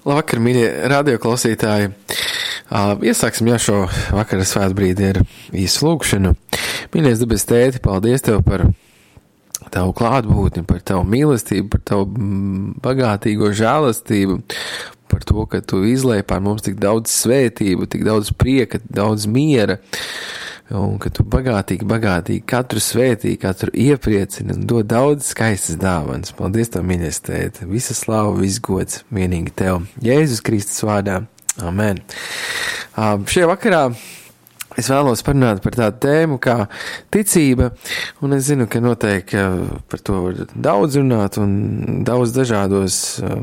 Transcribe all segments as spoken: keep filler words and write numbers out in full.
Labvakar, mīļie radioklausītāji. Iesāksim jau šo vakara svētbrīdi ar īsu lūgšanu. Mīļais debes tēti, paldies Tev par Tavu klātbūtni, par Tavu mīlestību, par Tavu bagātīgo žēlastību, par to, ka Tu izlēji pār mums tik daudz svētību, tik daudz prieka, daudz miera, un ka Tu bagātīgi, bagātīgi katru svētī, katru iepriecini un dod daudz skaistas dāvanas. Paldies Tev, mīļais tēti, visa slava, viss gods vienīgi Tev. Jēzus Kristus vārdā. Amen. Uh, šajā vakarā es vēlos parunāt par tādu tēmu kā ticība, un es zinu, ka noteikti par to var daudz runāt un daudz dažādos uh,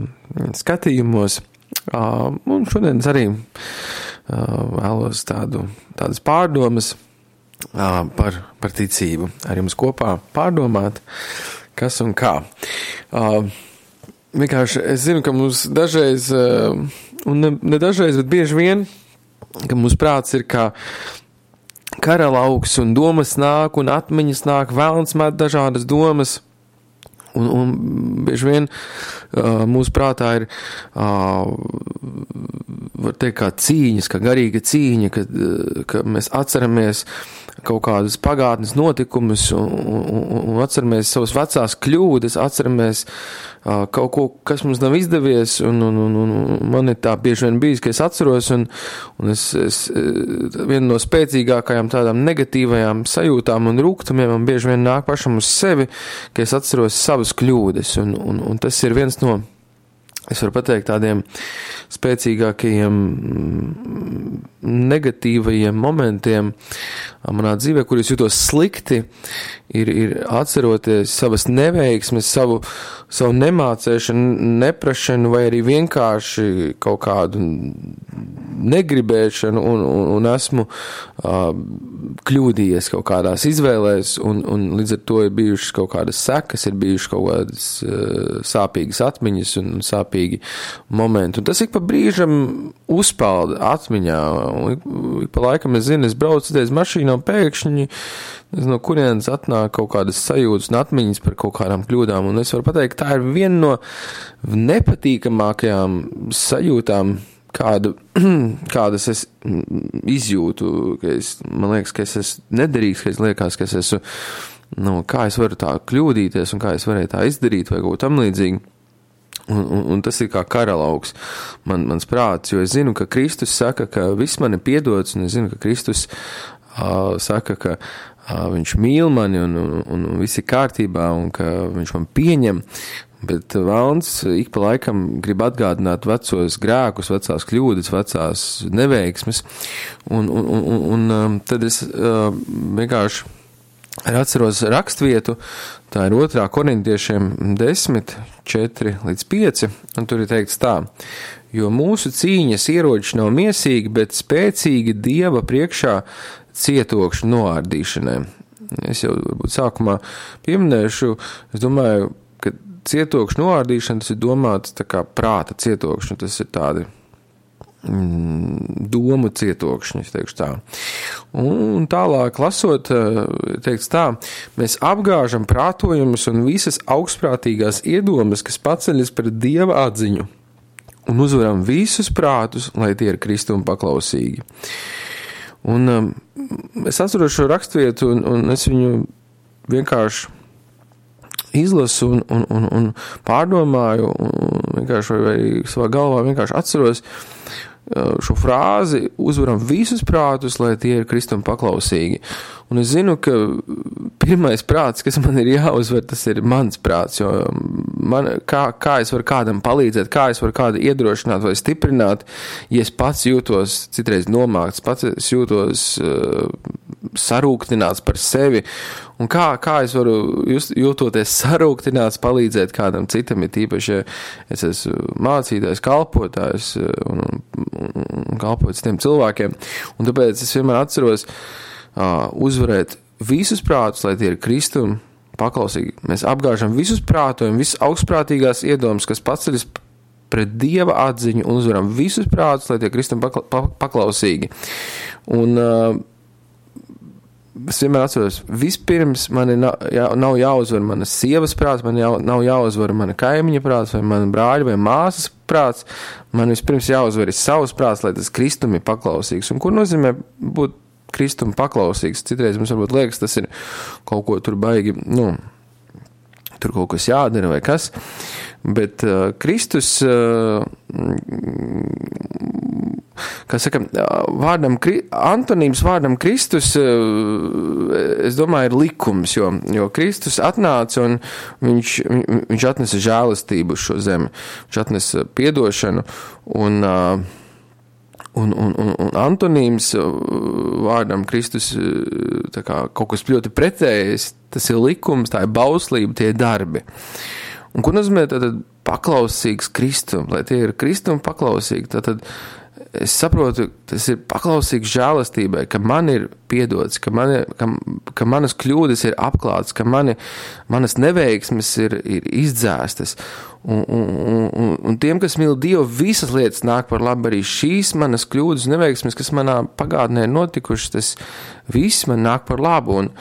skatījumos. Uh, un šodien arī uh, vēlos tādu, tādas pārdomas uh, par, par ticību. Ar jums kopā pārdomāt, kas un kā. Uh, vienkārši es zinu, ka mums dažreiz, uh, un ne, ne dažreiz, bet bieži vien, ka mūsu prāts ir kā karalauks un domas nāk un atmiņas nāk, vēlns met dažādas domas. Un, un bieži vien uh, mūsu prātā ir, uh, var teikt, kā cīņas, kā garīga cīņa, ka, ka mēs atceramies kaut kādus pagātnes notikumus un, un, un atceramies savas vecās kļūdas, atceramies uh, kaut ko, kas mums nav izdevies, un, un, un, un man ir tā bieži vien bijis, ka es atceros, un, un es, es viena no spēcīgākajām tādām negatīvajām sajūtām un rūgtumiem man bieži vien nāk pašam uz sevi, ka es atceros savas kļūdas, un, un, un tas ir viens no, es varu pateikt, tādiem spēcīgākajiem negatīvajiem momentiem manā dzīvē, kur es jūtos slikti, ir, ir atceroties savas neveiksmes, savu, savu nemācēšanu, neprašanu vai arī vienkārši kaut kādu negribēšanu un, un, un esmu uh, kļūdījies kaut kādās izvēlēs un, un līdz ar to ir bijušas kaut kādas sekas, ir bijušas kaut kādas uh, sāpīgas atmiņas un sāpīgi momenti. Un tas ik pa brīžam uzpalda atmiņā. Un ik pa laikam es zinu, es braucu uz mašīnā un pēkšņi no kurienes atnāk kaut kādas sajūtas un atmiņas par kaut kādām kļūdām. Un es varu pateikt, tā ir viena no nepatīkamākajām sajūtām, kādu, kādas es izjūtu, ka es, man liekas, ka es esmu nederīgs, ka es liekas, ka es esmu, nu, kā es varu tā kļūdīties un kā es varēju tā izdarīt vai kaut tam līdzīgi. Un, un, un tas ir kā karalauks man, mans prāts, jo es zinu, ka Kristus saka, ka viss man ir piedots, un es zinu, ka Kristus uh, saka, ka uh, viņš mīl mani un, un, un viss ir kārtībā un ka viņš man pieņem, bet vēlns ik pa laikam grib atgādināt vecos grēkus, vecās kļūdas, vecās neveiksmes, un, un, un, un um, tad es uh, vienkārši atceros rakstvietu, tā ir otrā korintiešiem desmit, četri līdz pieci, un tur ir teikts tā, jo mūsu cīņas ieroči nav miesīgi, bet spēcīgi Dieva priekšā cietokšu noārdīšanai. Es jau varbūt sākumā pieminēšu, es domāju, ka cietokšu noārdīšana, tas ir domāts tā kā prāta cietokšana, tas ir tādi domu cietokšņi, es teikšu tā. Un tālāk lasot, teikts tā, mēs apgāžam prātojumus un visas augstprātīgās iedomas, kas paceļas pret Dieva atziņu, un uzvaram visus prātus, lai tie ir Kristum paklausīgi. Un um, es atceros šo rakstvietu, un, un es viņu vienkārši izlasu un, un, un, un pārdomāju, un vienkārši vai, vai savā galvā vienkārši atceros šo frāzi, uzvaram visus prātus, lai tie ir Kristum paklausīgi. Un es zinu, ka pirmais prāts, kas man ir jāuzvar, tas ir mans prāts, jo man, kā, kā es varu kādam palīdzēt, kā es varu kādu iedrošināt vai stiprināt, ja es pats jūtos citreiz nomākts, pats es jūtos uh, sarūktināts par sevi, un kā, kā es varu just, jūtoties sarūktināts palīdzēt kādam citam, ir tīpaši, ja es esmu mācītājs, kalpotājs un, un, un kalpot citiem cilvēkiem, un tāpēc es vienmēr atceros uh, uzvarēt visus prātus, lai tie ir Kristum paklausīgi. Mēs apgāžam visus prātojam, visas augstprātīgās iedomas, kas paceļas pret Dieva atziņu un uzvaram visus prātus, lai tie Kristum pakla, paklausīgi. Un uh, es vienmēr atceros, vispirms man nav, jā, nav jāuzvar manas sievas prāts, man jau, nav jāuzvar mana kaimiņa prāts, vai mana brāļa vai māsas prāts, man vispirms jāuzvar ir savs prāts, lai tas Kristum ir paklausīgs. Un ko nozīmē būt Kristum paklausīgs? Citreiz mums varbūt liekas, tas ir kaut ko tur baigi, nu, tur kaut kas jādara vai kas, bet uh, Kristus, uh, kā saka, vārdam, antonīms vārdam Kristus, uh, es domāju, ir likums, jo, jo Kristus atnāca un viņš, viņš atnesa žēlastību uz šo zemi, viņš atnesa piedošanu un uh, Un, un, un, un antonīms vārdam Kristus tā kā kaut kas ļoti pretējs, tas ir likums, tā ir bauslība, tie ir darbi. Un ko nozīmē tātad paklausīgs Kristum, lai tie ir Kristum paklausīgi, tātad es saprotu, tas ir paklausīgs žēlastībai, ka man ir piedots, ka, mani, ka, ka manas kļūdas ir apklātas, ka mani, manas neveiksmes ir, ir izdzēstas. Un, un, un, un tiem, kas mīl Dievu, visas lietas nāk par labu, arī šīs manas kļūdas neveiksmes, kas manā pagātnē ir notikušas, tas viss man nāk par labu. Un,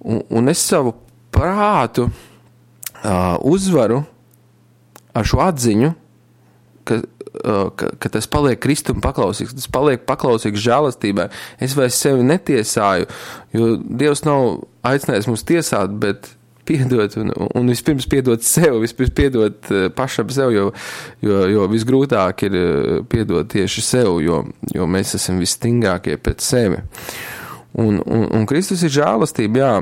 un, un es savu prātu uh, uzvaru ar šo atziņu, ka Ka, ka tas paliek Kristum paklausīgs, tas paliek paklausīgs žēlastībai. Es vairs sevi netiesāju, jo Dievs nav aicinājis mums tiesāt, bet piedot un, un vispirms piedot sev, vispirms piedot pašam sev, jo, jo, jo visgrūtāk ir piedot tieši sev, jo, jo mēs esam visstingākie pēc sevi. Un, un, un Kristus ir žēlastība, jā.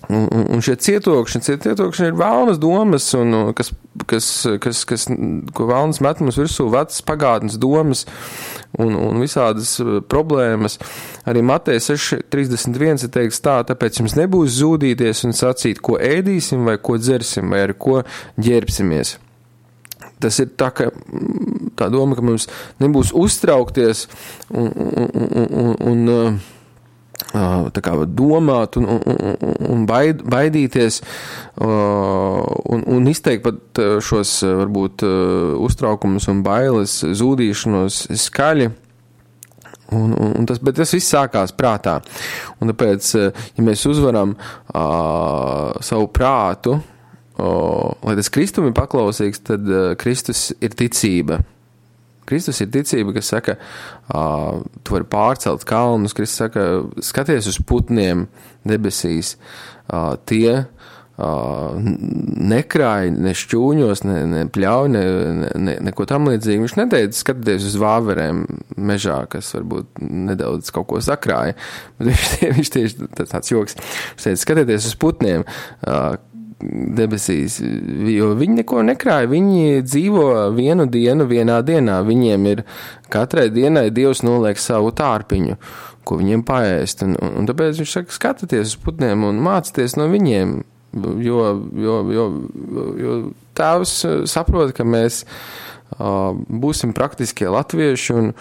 Un, un, un šie cietokšņi, cietokšņi ir vēlnas domas, un, kas, kas, kas, kas, ko vēlnas met mums virsū vecas pagātnes domas un, un visādas problēmas. Arī Mateja seši trīsdesmit viens ir teiks tā, tāpēc jums nebūs zūdīties un sacīt, ko ēdīsim vai ko dzersim vai ar ko ģērbsimies. Tas ir tā, ka, tā doma, ka mums nebūs uztraukties un, un, un, un, un tā kā domāt un, un, un baid, baidīties un, un izteikt pat šos varbūt uztraukumus un bailes, zūdīšanos skaļi. Un, un, un tas, bet tas viss sākās prātā. Un tāpēc, ja mēs uzvaram uh, savu prātu, uh, lai tas Kristum ir paklausīgs, tad uh, Kristus ir ticība. Kristus ir ticība, kas saka, uh, tu vari pārcelt kalnus, Kristus saka, skaties uz putniem debesīs, uh, tie uh, nekrāj, ne šķūņos, ne, ne pļauj, ne, ne, neko tam līdzīgi. Viņš neteica, skatieties uz vāverēm mežā, kas varbūt nedaudz kaut ko sakrāja, bet viņš, viņš tieši tāds joks, viņš teica, skatieties uz putniem, uh, debesīs, jo viņi neko nekrāja, viņi dzīvo vienu dienu, vienā dienā, viņiem ir katrai dienai Dievs noliek savu tārpiņu, ko viņiem paēst, un, un, un tāpēc viņš saka, skatieties uz putniem un mācieties no viņiem, jo, jo, jo, jo Tēvs saprot, ka mēs uh, būsim praktiskie latvieši un,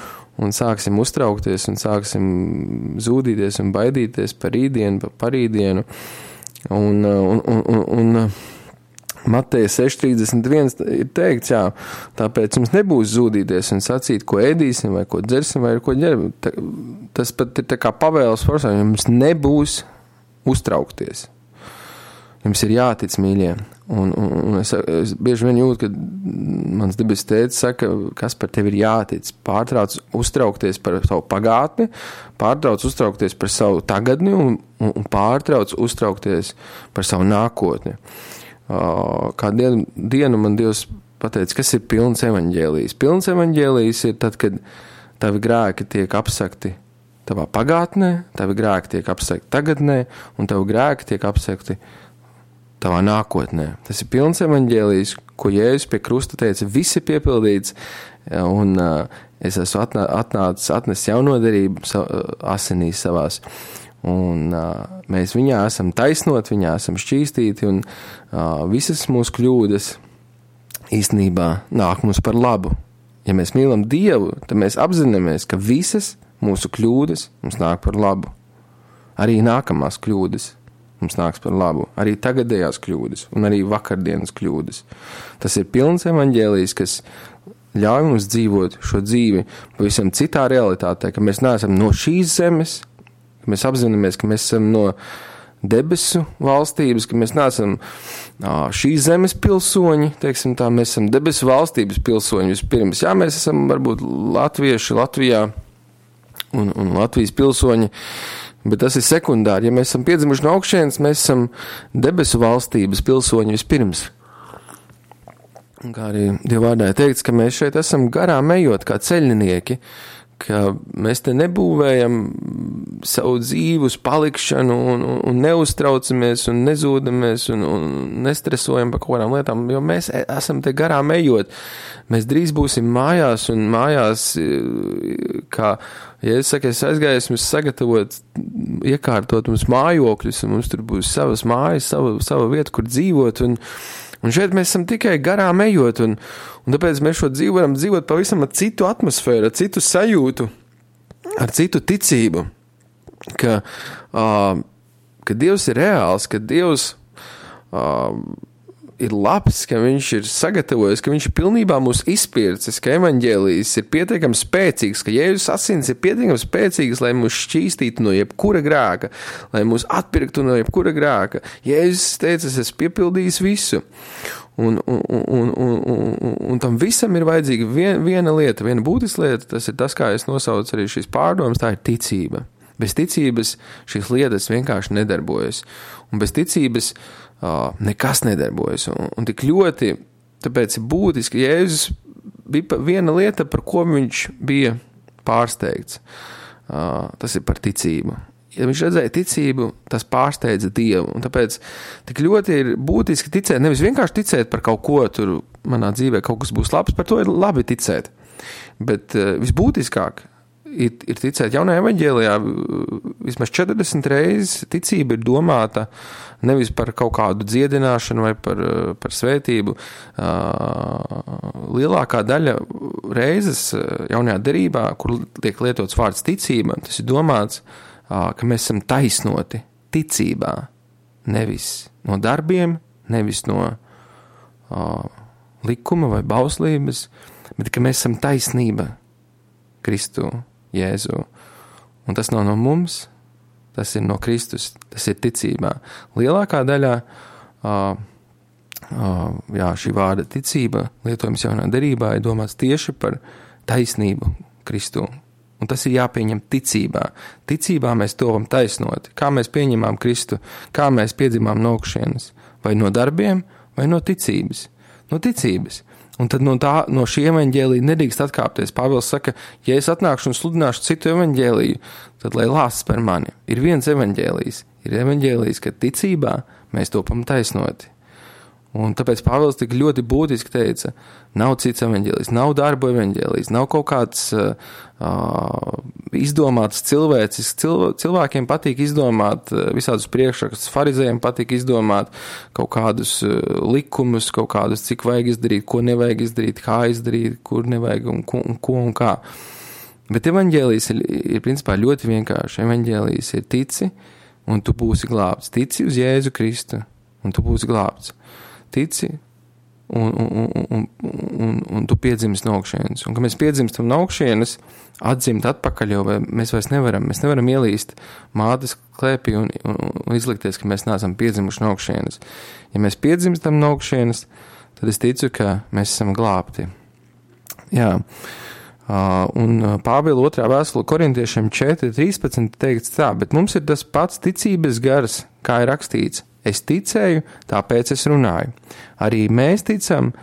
un sāksim uztraukties un sāksim zūdīties un baidīties par rītdienu, par parītdienu. Un, un, un, un, un Mateja seši trīsdesmit viens ir teikts, jā, tāpēc jums nebūs zūdīties un sacīt, ko ēdīsim vai ko dzersim vai ko ģerbim. Tas pat ir tā kā pavēles forsā, jums nebūs uztraukties. Jums ir jātic, mīļie. Un, un, un es, es bieži vien jūtu, ka mans debes tētis saka, kas par tevi ir jātic. Pārtrauc uztraukties par savu pagātni, pārtrauc uztraukties par savu tagadni un, un, un pārtrauc uztraukties par savu nākotni. Uh, kā dienu, dienu man Dievs pateica, kas ir pilns evaņģēlijs. Pilns evaņģēlijs ir tad, kad tavi grēki tiek apsakti tavā pagātnē, tavi grēki tiek apsakti tagadnē un tavi grēki tiek apsakti tavā nākotnē. Tas ir pilns evaņģēlijs, ko Jēzus pie krusta teica, viss ir piepildīts, un uh, es esmu atnā, atnācis, atnesis jaunodarību sa, asinīs savās, un uh, mēs viņā esam taisnot, viņā esam šķīstīti, un uh, visas mūsu kļūdas īstenībā nāk mums par labu. Ja mēs mīlam Dievu, tad mēs apzināmies, ka visas mūsu kļūdas mums nāk par labu. Arī nākamās kļūdas mums nāks par labu, arī tagadējās kļūdas un arī vakardienas kļūdas. Tas ir pilns evaņģēlijs, kas ļauj mums dzīvot šo dzīvi pavisam citā realitātē, ka mēs neesam no šīs zemes, ka mēs apzināmies, ka mēs esam no debesu valstības, ka mēs neesam šīs zemes pilsoņi, teiksim tā, mēs esam debesu valstības pilsoņi vispirms. Jā, mēs esam varbūt latvieši Latvijā un, un Latvijas pilsoņi, bet tas ir sekundāri. Ja mēs esam piedzimuši no augšienes, mēs esam debesu valstības pilsoņi vispirms. Un kā arī Dieva vārdā ir teikts, ka mēs šeit esam garām ejot kā ceļinieki, ka mēs te nebūvējam savu dzīvu uz palikšanu un, un, un neuztraucamies un nezūdamies un, un nestresojam par kaut kādām lietām, jo mēs esam te garām ejot. Mēs drīz būsim mājās un mājās, kā, ja es saku, es aizgāju, esmu sagatavot, iekārtot mums mājokļus un mums tur būs savas mājas, sava, sava vieta, kur dzīvot un Un šeit mēs esam tikai garām ejot, un, un tāpēc mēs šo dzīvi varam dzīvot pavisam ar citu atmosfēru, ar citu sajūtu, ar citu ticību, ka, uh, ka Dievs ir reāls, ka Dievs uh, ir labs, ka viņš ir sagatavojis, ka viņš ir pilnībā mūs izpircis, ka evaņģēlijs ir pietiekami spēcīgs, ka Jēzus asins ir pietiekami spēcīgs, lai mūs šķīstītu no jebkura grēka, lai mūs atpirktu no jebkura grēka. Jēzus teica, es esmu piepildījis visu. Un, un, un, un, un, un tam visam ir vajadzīga vien, viena lieta, viena būtiska lieta, tas ir tas, kā es nosaucu arī šīs pārdomas, tā ir ticība. Bez ticības šīs lietas vienkārši nedarbojas. Un bez ticības uh, nekas nedarbojas. Un, un tik ļoti, tāpēc ir būtiski, Jēzus bija viena lieta, par ko viņš bija pārsteigts. Uh, tas ir par ticību. Ja viņš redzēja ticību, tas pārsteidza Dievu. Un tāpēc tik ļoti ir būtiski ticēt, nevis vienkārši ticēt par kaut ko, tur manā dzīvē kaut kas būs labs, par to ir labi ticēt. Bet uh, visbūtiskāk Ir, ir ticēt jaunajā evaņģēlijā, vismaz četrdesmit reizes ticība ir domāta nevis par kaut kādu dziedināšanu vai par, par svētību. Lielākā daļa reizes jaunajā derībā, kur tiek lietots vārds ticība, tas ir domāts, ka mēs esam taisnoti ticībā, nevis no darbiem, nevis no likuma vai bauslības, bet ka mēs esam taisnība Kristu. Jēzu. Un tas nav no mums, tas ir no Kristus, tas ir ticībā. Lielākā daļā uh, uh, jā, šī vārda ticība, lietojums jaunā derībā, ir domāts tieši par taisnību Kristu. Un tas ir jāpieņem ticībā. Ticībā mēs tovam taisnoti. Kā mēs pieņemām Kristu, kā mēs piedzimām no augšienes, vai no darbiem, vai no ticības. No ticības. Un tad no, tā, no šī evaņģēlija nedrīkst atkāpties. Pāvils saka, ja es atnākšu un sludināšu citu evaņģēliju, tad lai lāsts par mani. Ir viens evaņģēlijs. Ir evaņģēlijs, ka ticībā mēs topam taisnoti. Un tāpēc Pāvils tik ļoti būtiski teica, nav cits evaņģēlijs, nav darbu evaņģēlijs, nav kaut kāds uh, izdomāts cilvēcis. Cilv, cilvēkiem patīk izdomāt uh, visādus priekšrakstus, farizējiem patīk izdomāt kaut kādus uh, likumus, kaut kādus, cik vajag izdarīt, ko nevajag izdarīt, kā izdarīt, kur nevajag un ko un, ko un kā. Bet evaņģēlijs ir, ir principā ļoti vienkārši. Evaņģēlijs ir tici, un tu būsi glābts. Tici uz Jēzu Kristu, un tu būsi glābts. Tici, un, un, un, un, un tu piedzimst no augšienes. Un, kad mēs piedzimstam no augšienes, atdzimt atpakaļ, jo mēs vairs nevaram, mēs nevaram ielīst mātes klēpī un, un, un izlikties, ka mēs neesam piedzimuši no augšienes. Ja mēs piedzimstam no augšienes, tad es ticu, ka mēs esam glābti. Jā. Uh, un Pāvila otrā vēstule korintiešiem četri trīspadsmit teikts tā, bet mums ir tas pats ticības gars, kā ir rakstīts. Es ticēju, tāpēc es runāju. Arī mēs ticam,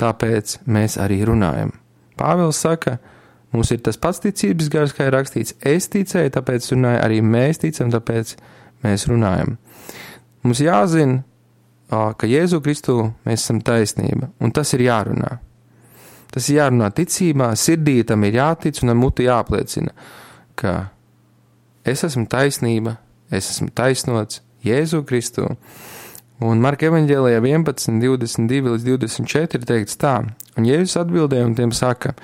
tāpēc mēs arī runājam. Pāvils saka, mums ir tas pats ticības gars, kā ir rakstīts. Es ticēju, tāpēc runāju. Arī mēs ticam, tāpēc mēs runājam. Mums jāzina, ka Jēzu Kristu mēs esam taisnība, un tas ir jārunā. Tas ir jārunā ticībā, sirdī tam ir jātic un ar muti jāpliecina, ka es esmu taisnība, es esmu taisnots, Jēzu Kristu. Un Marka evaņģēlijā vienpadsmit, divdesmit divi līdz divdesmit četri teikts tā, un Jēzus atbildēja un tiem saka,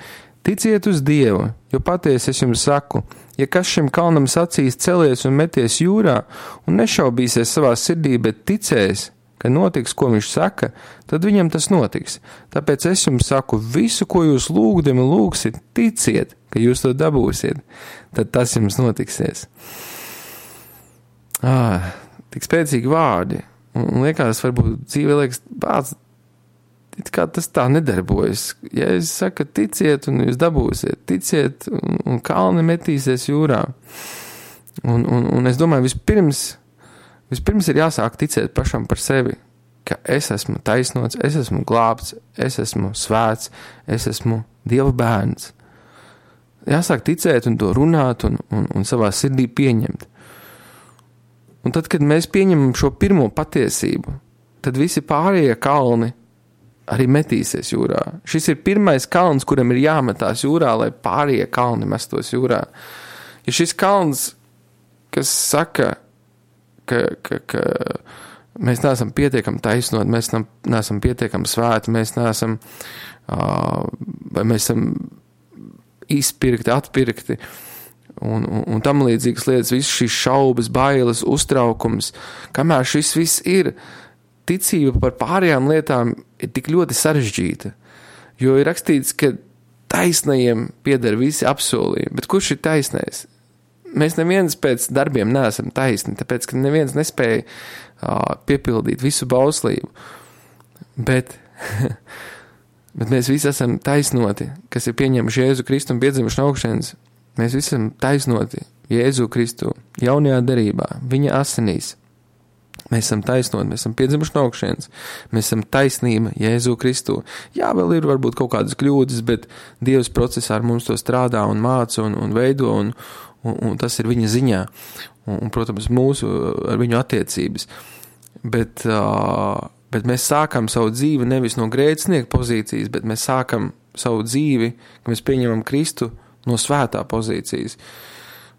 ticiet uz Dievu, jo patiesi es jums saku, ja kas šim kalnam sacīs celies un meties jūrā un nešaubīsies savā sirdī, bet ticēs, ka notiks, ko viņš saka, tad viņam tas notiks. Tāpēc es jums saku, visu, ko jūs lūgdami lūgsiet, ticiet, ka jūs to dabūsiet, tad tas jums notiksies. ā, tik spēcīgi vārdi. Un, un liekas, varbūt dzīve liekas, bāc, it kā tas tā nedarbojas. Ja es saku, ticiet un jūs dabūsiet, ticiet un, un kalni metīsies jūrā. Un, un, un es domāju, vispirms, vispirms ir jāsāk ticēt pašam par sevi, ka es esmu taisnots, es esmu glābts, es esmu svēts, es esmu Dieva bērns. Jāsāk ticēt un to runāt un, un, un savā sirdī pieņemt. Un tad, kad mēs pieņemam šo pirmo patiesību, tad visi pārējie kalni arī metīsies jūrā. Šis ir pirmais kalns, kuram ir jāmetās jūrā, lai pārējie kalni mestos jūrā. Ja šis kalns, kas saka, ka, ka, ka mēs neesam pietiekami taisnot, mēs neesam pietiekami svēti, mēs neesam, uh, vai mēs esam izpirkti, atpirkti, un, un, un tam līdzīgas lietas, visas šīs šaubas, bailes, uztraukums, kamēr šis viss ir, ticība par pārējām lietām ir tik ļoti sarežģīta, jo ir rakstīts, ka taisnajiem pieder visi apsolījumi, bet kurš ir taisnais? Mēs neviens pēc darbiem neesam taisni, tāpēc, ka neviens nespēja uh, piepildīt visu bauslību, bet, bet mēs visi esam taisnoti, kas ir pieņemuši Jēzu Kristu un piedzimuši no augšienes. Mēs visi esam taisnoti Jēzu Kristu jaunajā derībā, viņa asinīs. Mēs esam taisnoti, mēs esam piedzimuši no augšienes, mēs esam taisnība Jēzu Kristu. Jā, vēl ir varbūt kaut kādas kļūdas, bet Dievs procesā ar mums to strādā un māca un, un veido, un, un, un tas ir viņa ziņā. Un, un protams, mūsu ar viņu attiecības. Bet, uh, bet mēs sākam savu dzīvi nevis no grēcinieka pozīcijas, bet mēs sākam savu dzīvi, ka mēs pieņemam Kristu no svētā pozīcijas.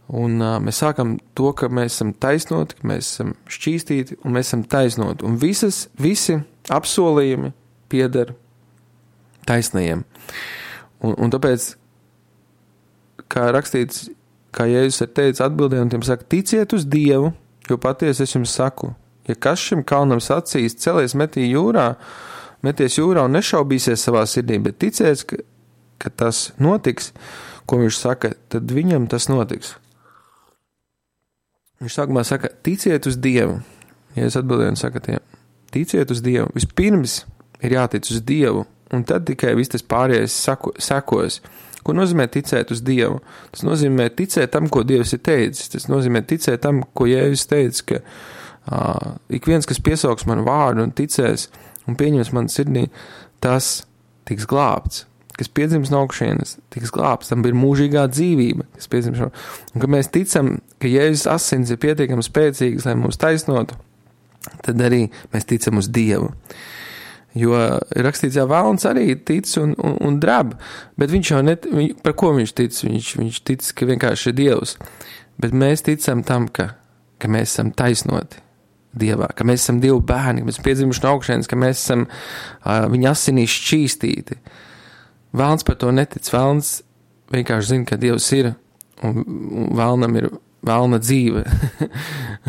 Un uh, mēs sākam to, ka mēs esam taisnoti, ka mēs esam šķīstīti un mēs esam taisnoti. Un visas, visi apsolījumi pieder taisnajiem. Un, un tāpēc, kā rakstīts, kā Jēzus ir teicis atbildē, un tiem saka, ticiet uz Dievu, jo patiesi es jums saku, ja kas šim kalnam sacīs, celies metī jūrā, meties jūrā un nešaubīsies savā sirdī, bet ticēs, ka, ka tas notiks, ko viņš saka, tad viņam tas notiks. Viņš sākumā saka, ticiet uz Dievu. Ja es atbildēju un saka tiem, ticiet uz Dievu. Vispirms ir jātic uz Dievu, un tad tikai viss tas pārējais sako, sekos. Ko nozīmē ticēt uz Dievu? Tas nozīmē ticēt tam, ko Dievs ir teicis. Tas nozīmē ticēt tam, ko Jēzus teica, ka uh, ik viens, kas piesauks manu vārdu un ticēs un pieņems manu sirdī, tas tiks glābts. Kas piedzims no augšienes, tiks glābts, tam ir mūžīgā dzīvība, kas piedzims no, un ka mēs ticam, ka Jēzus asins ir pietiekami spēcīgs, lai mūs taisnotu, tad arī mēs ticam uz Dievu. Jo ir rakstīts, jā, vēlns arī tic un, un, un drab, bet viņš jau net, viņ, par ko viņš tic? Viņš, viņš tic, ka vienkārši ir Dievs, bet mēs ticam tam, ka, ka mēs esam taisnoti Dievā, ka mēs esam Dievu bērni, ka mēs piedzimuši no augšienes, ka mēs esam uh, viņa asinīs šķīstīti. Vēlns par to netic, vēlns vienkārši zina, ka Dievs ir, un, un vēlnam ir vēlna dzīve.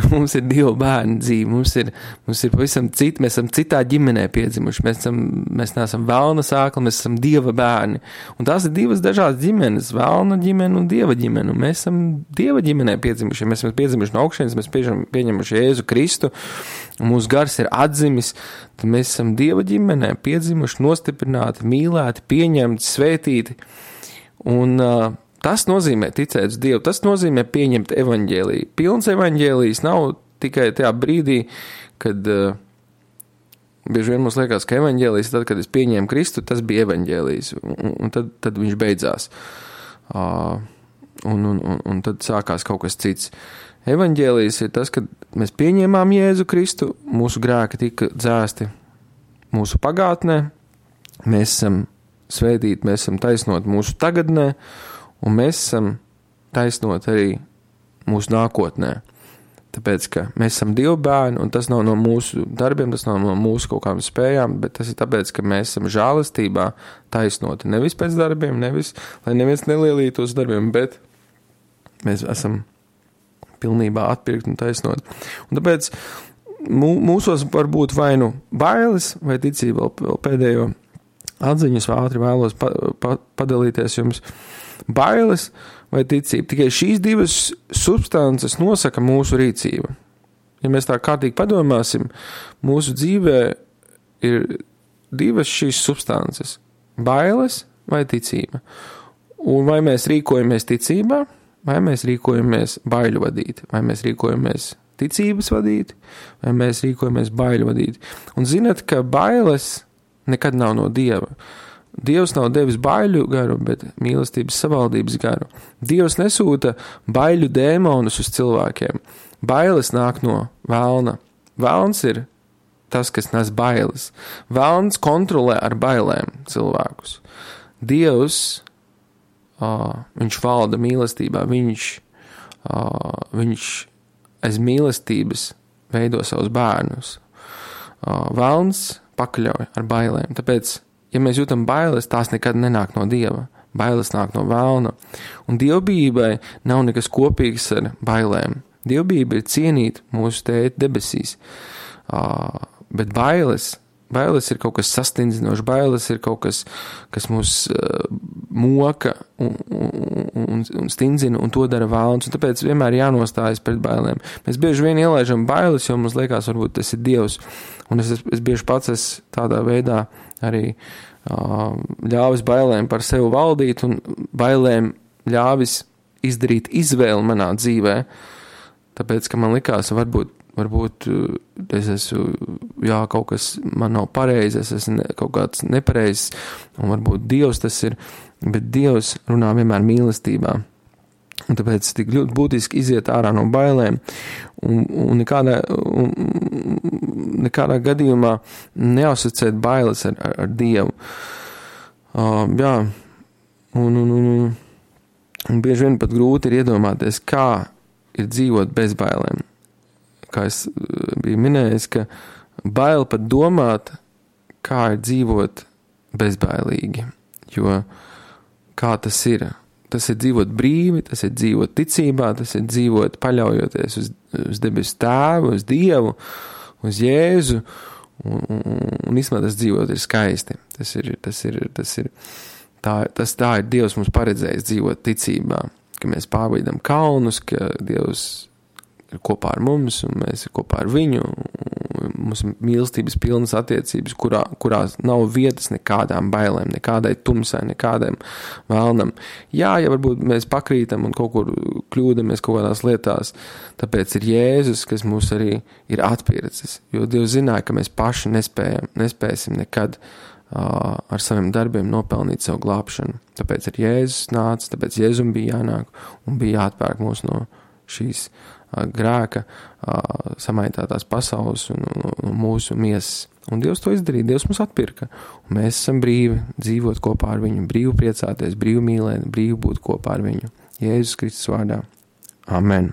Mums ir Dieva bērni dzīve, mums ir, mums ir pavisam citi, mēs esam citā ģimenē piedzimuši, mēs, esam, mēs neesam vēlna sākli, mēs esam Dieva bērni. Un tās ir divas dažādas ģimenes, vēlna ģimene un Dieva ģimene, un mēs esam Dieva ģimenē piedzimuši, mēs esam piedzimuši no augšienes, mēs pieņem, pieņemuši Jēzu Kristu, un mūsu gars ir atzimis, tad mēs esam Dieva ģimenē piedzimuši, nostiprināti, mīlēti, pieņemti, svētīti, un uh, tas nozīmē ticēt uz Dievu, tas nozīmē pieņemt evaņģēliju. Pilns evaņģēlijs nav tikai tajā brīdī, kad uh, bieži vien mums liekas, ka evaņģēlijs, tad, kad es pieņēmu Kristu, tas bija evaņģēlijs, un, un tad, tad viņš beidzās. Uh, un, un, un, un tad sākās kaut kas cits. Evaņģēlijs ir tas, kad mēs pieņēmām Jēzu Kristu, mūsu grēki tika dzēsti mūsu pagātnē, mēs esam svētīti, mēs esam taisnoti mūsu tagadnē, un mēs esam taisnot arī mūsu nākotnē. Tāpēc, ka mēs esam Dieva bērni, un tas nav no mūsu darbiem, tas nav no mūsu kaut kādām spējām, bet tas ir tāpēc, ka mēs esam žēlastībā taisnoti. Nevis pēc darbiem, nevis, lai neviens nelielītos darbiem, bet mēs esam pilnībā atpirkt un taisnot. Un tāpēc mūsos var būt vai nu bailes, vai ticība, vēl pēdējo atziņas ātri vēlos pa, pa, padalīties jums. Bailes vai ticība. Tikai šīs divas substances nosaka mūsu rīcību. ja mēs tā kārtīgi padomāsim, mūsu dzīvē ir divas šīs substances – bailes vai ticība. Un vai mēs rīkojamies ticībā, vai mēs rīkojamies baiļu vadīti, vai mēs rīkojamies ticības vadīti, vai mēs rīkojamies baiļu vadīti. Un zinat, ka bailes nekad nav no Dieva. Dievs nav devis baiļu garu, bet mīlestības savaldības garu. Dievs nesūta baiļu dēmonus uz cilvēkiem. Bailes nāk no velna. Velns ir tas, kas nes bailes. Velns kontrolē ar bailēm cilvēkus. Dievs, uh, viņš valda mīlestībā, viņš, uh, viņš aiz mīlestības veido savus bērnus. Uh, velns pakļauj ar bailēm. Tāpēc, ja mēs jūtam bailes, tās nekad nenāk no Dieva. Bailes nāk no velna. Un dievbijībai nav nekas kopīgs ar bailēm. Dievbijība ir cienīt mūsu tēti debesīs. Uh, bet bailes, bailes ir kaut kas sastindzinošs, bailes ir kaut kas, kas mūs uh, moka un, un, un stindzina, un to dara velns. Un tāpēc vienmēr jānostājas pret bailēm. Mēs bieži vien ielaižam bailes, jo mums liekas, varbūt tas ir Dievs. Un es, es bieži pats es tādā veidā arī uh, ļāvis bailēm par sevi valdīt un bailēm ļāvis izdarīt izvēli manā dzīvē, tāpēc, ka man likās, varbūt, varbūt es esmu, jā, kaut kas man nav pareizi, es esmu ne, kaut kāds nepareizs, un varbūt Dievs tas ir, bet Dievs runā vienmēr mīlestībā. Un tāpēc tik ļoti būtiski iziet ārā no bailēm un, un, nekādā, un nekādā gadījumā neasociēt bailes ar, ar, ar Dievu. Uh, jā, un, un, un, un bieži vien pat grūti ir iedomāties, kā ir dzīvot bez bailēm. Kā es biju minējis, ka bail pat domāt, kā ir dzīvot bezbailīgi, jo kā tas ir. Tas ir dzīvot brīvi, tas ir dzīvot ticībā, tas ir dzīvot paļaujoties uz, uz debesu tēvu, uz Dievu, uz Jēzu, un, un, un īstenībā tas dzīvot ir skaisti. Tas ir, tas ir, tas ir, tā, tas tā ir Dievs mums paredzējis dzīvot ticībā, ka mēs pārbaudām kalnus, ka Dievs ir kopā ar mums, un mēs ir kopā ar viņu, mums mīlestības pilnas attiecības, kurā, kurās nav vietas nekādām bailēm, nekādai tumsai, nekādiem vēlnam. Jā, ja varbūt mēs pakrītam un kaut kur kļūdamies kaut kādās lietās, tāpēc ir Jēzus, kas mūs arī ir atpircis, jo Dievs zināja, ka mēs paši nespējam, nespēsim nekad uh, ar saviem darbiem nopelnīt savu glābšanu. Tāpēc ir Jēzus nāca, tāpēc Jēzum bija jānāk un bija jāatpērk mūs no šīs grēka, samaitātās pasaules un, un mūsu miesas. Un Dievs to izdarīja, Dievs mums atpirka. Un mēs esam brīvi dzīvot kopā ar viņu, brīvi priecāties, brīvi mīlēt, brīvi būt kopā ar viņu. Jēzus Kristus vārdā. Amen.